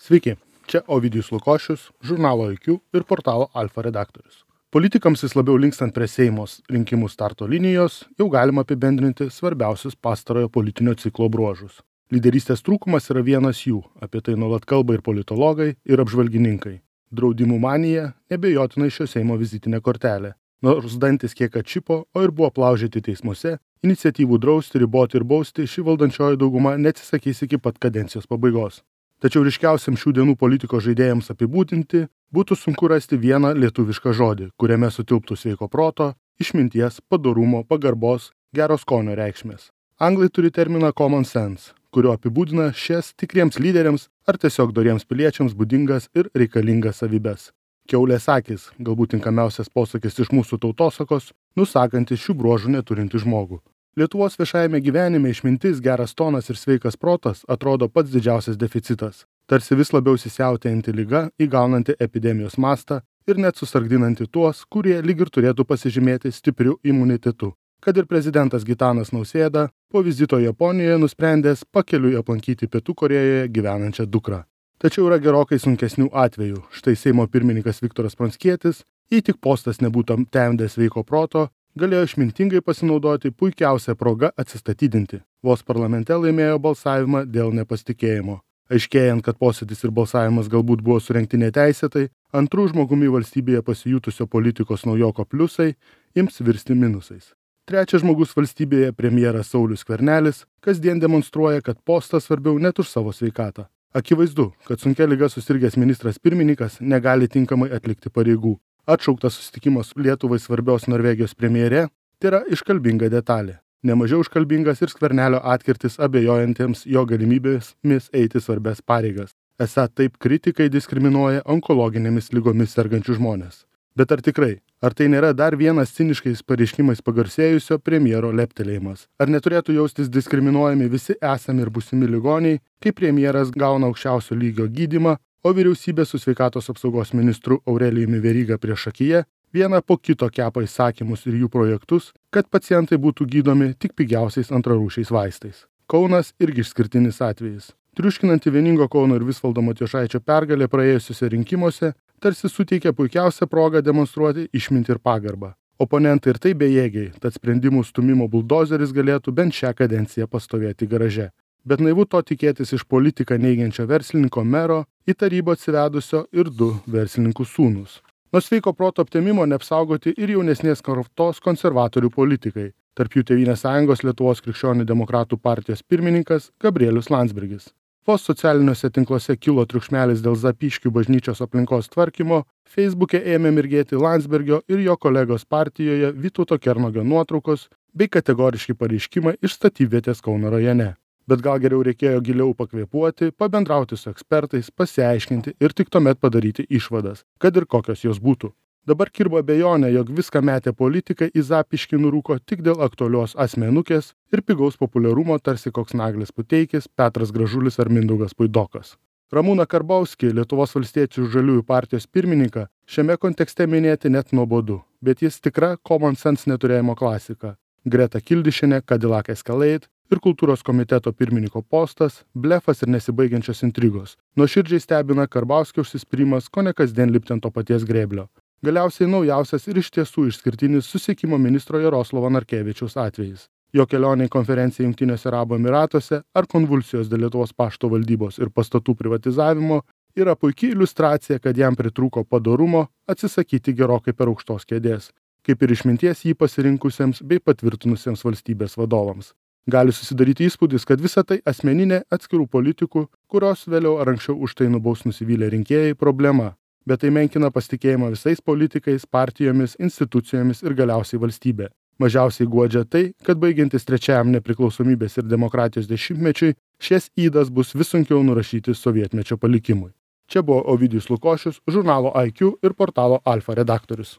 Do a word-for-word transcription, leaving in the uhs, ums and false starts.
Sveiki, čia Ovidijus Lukošius, žurnalo I Q ir portalo Alfa redaktorius. Politikams vis labiau linkstant prie Seimos rinkimų starto linijos, jau galima apibendrinti svarbiausius pastarojo politinio ciklo bruožus. Lyderystės trūkumas yra vienas jų, apie tai nuolat kalba ir politologai, ir apžvalgininkai. Draudimų manija nebejotinai šio Seimo vizitinė kortelė. Nors dantis kiek atšipo, o ir buvo plaužyti teismuose, iniciatyvų drausti, riboti ir bausti ši valdančioji dauguma neatsisakys iki pat kadencijos pabaigos. Tačiau ryškiausiam šių dienų politikos žaidėjams apibūdinti būtų sunku rasti vieną lietuvišką žodį, kuriame sutilptų sveiko proto, išminties, padorumo, pagarbos, gero skonio reikšmės. Anglai turi terminą common sense, kurio apibūdina šias tikriems lyderiams ar tiesiog doriems piliečiams būdingas ir reikalingas savybes. Kiaulės akis, galbūt tinkamiausias posakis iš mūsų tautosakos, nusakantis šių bruožų neturinti žmogų. Lietuvos viešajame gyvenime išmintis, geras tonas ir sveikas protas atrodo pats didžiausias deficitas, tarsi vis labiau įsisiautėjanti liga, įgaunanti epidemijos mastą ir net susargdinanti tuos, kurie lyg ir turėtų pasižymėti stipriu imunitetu. Kad ir prezidentas Gitanas Nausėda po vizito Japonijoje nusprendęs pakeliui aplankyti Pietų Korėjoje gyvenančią dukrą. Tačiau yra gerokai sunkesnių atvejų. Štai Seimo pirmininkas Viktoras Pranckietis, jei tik postas nebūtų temdęs sveiko proto, galėjo išmintingai pasinaudoti puikiausią progą atsistatydinti. Vos parlamente laimėjo balsavimą dėl nepasitikėjimo. Aiškėjant, kad posėdis ir balsavimas galbūt buvo surengti neteisėtai, antrų žmogumi valstybėje pasijutusio politikos naujoko pliusai ims virsti minusais. Trečias žmogus valstybėje, premjeras Saulius Skvernelis, kasdien demonstruoja, kad postas svarbiau net už savo sveikatą. Akivaizdu, kad sunkia liga susirgęs ministras pirmininkas negali tinkamai atlikti pareigų. Atšauktas susitikimas Lietuvai svarbios Norvegijos premjere tai yra iškalbinga detalė. Nemažiau iškalbingas ir Skvernelio atkirtis abejojantiems jo galimybėmis eiti svarbias pareigas. Esą taip kritikai diskriminuoja onkologinėmis ligomis sergančių žmonės. Bet ar tikrai? Ar tai nėra dar vienas ciniškais pareiškimais pagarsėjusio premjero leptelėjimas? Ar neturėtų jaustis diskriminuojami visi esami ir būsimi ligoniai, kai premjeras gauna aukščiausio lygio gydymą, o vyriausybė su sveikatos apsaugos ministru Aurelijumi Veryga priešakyje vieną po kito kepa įsakymus ir jų projektus, kad pacientai būtų gydomi tik pigiausiais antrarūšiais vaistais. Kaunas irgi išskirtinis atvejis. Triuškinanti vieningo Kauno ir Visvaldo Matijošaičio pergalė praėjusiuose rinkimuose tarsi suteikė puikiausią progą demonstruoti išmintį ir pagarbą. Oponentai ir tai bejėgiai, tad sprendimų stumimo buldozeris galėtų bent šią kadenciją pastovėti garaže. Bet naivu to tikėtis iš politiką neigiančio verslininko mero į tarybą atsivedusio ir du verslininkų sūnus. Nuo sveiko proto aptemimo neapsaugoti ir jaunesnės kartos konservatorių politikai, tarp jų Tėvynės sąjungos Lietuvos krikščionių demokratų partijos pirmininkas Gabrielius Landsbergis. Vos socialiniuose tinkluose kilo triukšmelis dėl Zapyškių bažnyčios aplinkos tvarkymo, Facebook'e ėmė mirgėti Landsbergio ir jo kolegos partijoje Vytauto Kernagio nuotraukos bei kategoriški pareiškimai iš statybvietės Kauno rajone. Bet gal geriau reikėjo giliau pakvėpuoti, pabendrauti su ekspertais, pasiaiškinti ir tik tuomet padaryti išvadas, kad ir kokios jos būtų. Dabar kirba abejonė, jog viską metė politikai į Zapyškį nurūko tik dėl aktualios asmenukės ir pigaus populiarumo tarsi koks Naglis Puteikis, Petras Gražulis ar Mindaugas Puidokas. Ramūną Karbauskį, Lietuvos valstiečių žaliųjų partijos pirmininką, šiame kontekste minėti net nuobodu, bet jis tikra common sense neturėjimo klasika. Greta Kildišienė, Cadillac Escalade ir kultūros komiteto pirmininko postas, blefas ir nesibaigiančios intrigos. Nuoširdžiai stebina Karbauskio užsispyrimas, ko ne kasdien lipti ant to paties grėblio. Galiausiai naujausias ir iš tiesų išskirtinis susisiekimo ministro Jaroslavo Narkevičiaus atvejis. Jo kelionė į konferenciją Jungtiniuose Arabų Emyratuose ar konvulsijos dėl Lietuvos pašto valdybos ir pastatų privatizavimo yra puikia iliustracija, kad jam pritrūko padorumo atsisakyti gerokai per aukštos kėdės, kaip ir išminties jį pasirinkusiems bei patvirtinusiems valstybės vadovams. Gali susidaryti įspūdis, kad visa tai asmeninė atskirų politikų, kurios vėliau ar anksčiau už tai nubaus nusivylę rinkėjai problema. Bet tai menkina pasitikėjimą visais politikais, partijomis, institucijomis ir galiausiai valstybė. Mažiausiai guodžia tai, kad baigiantis trečiajam nepriklausomybės ir demokratijos dešimtmečiui, šias ydas bus vis sunkiau nurašyti sovietmečio palikimui. Čia buvo Ovidijus Lukošius, žurnalo I Q ir portalo Alfa redaktorius.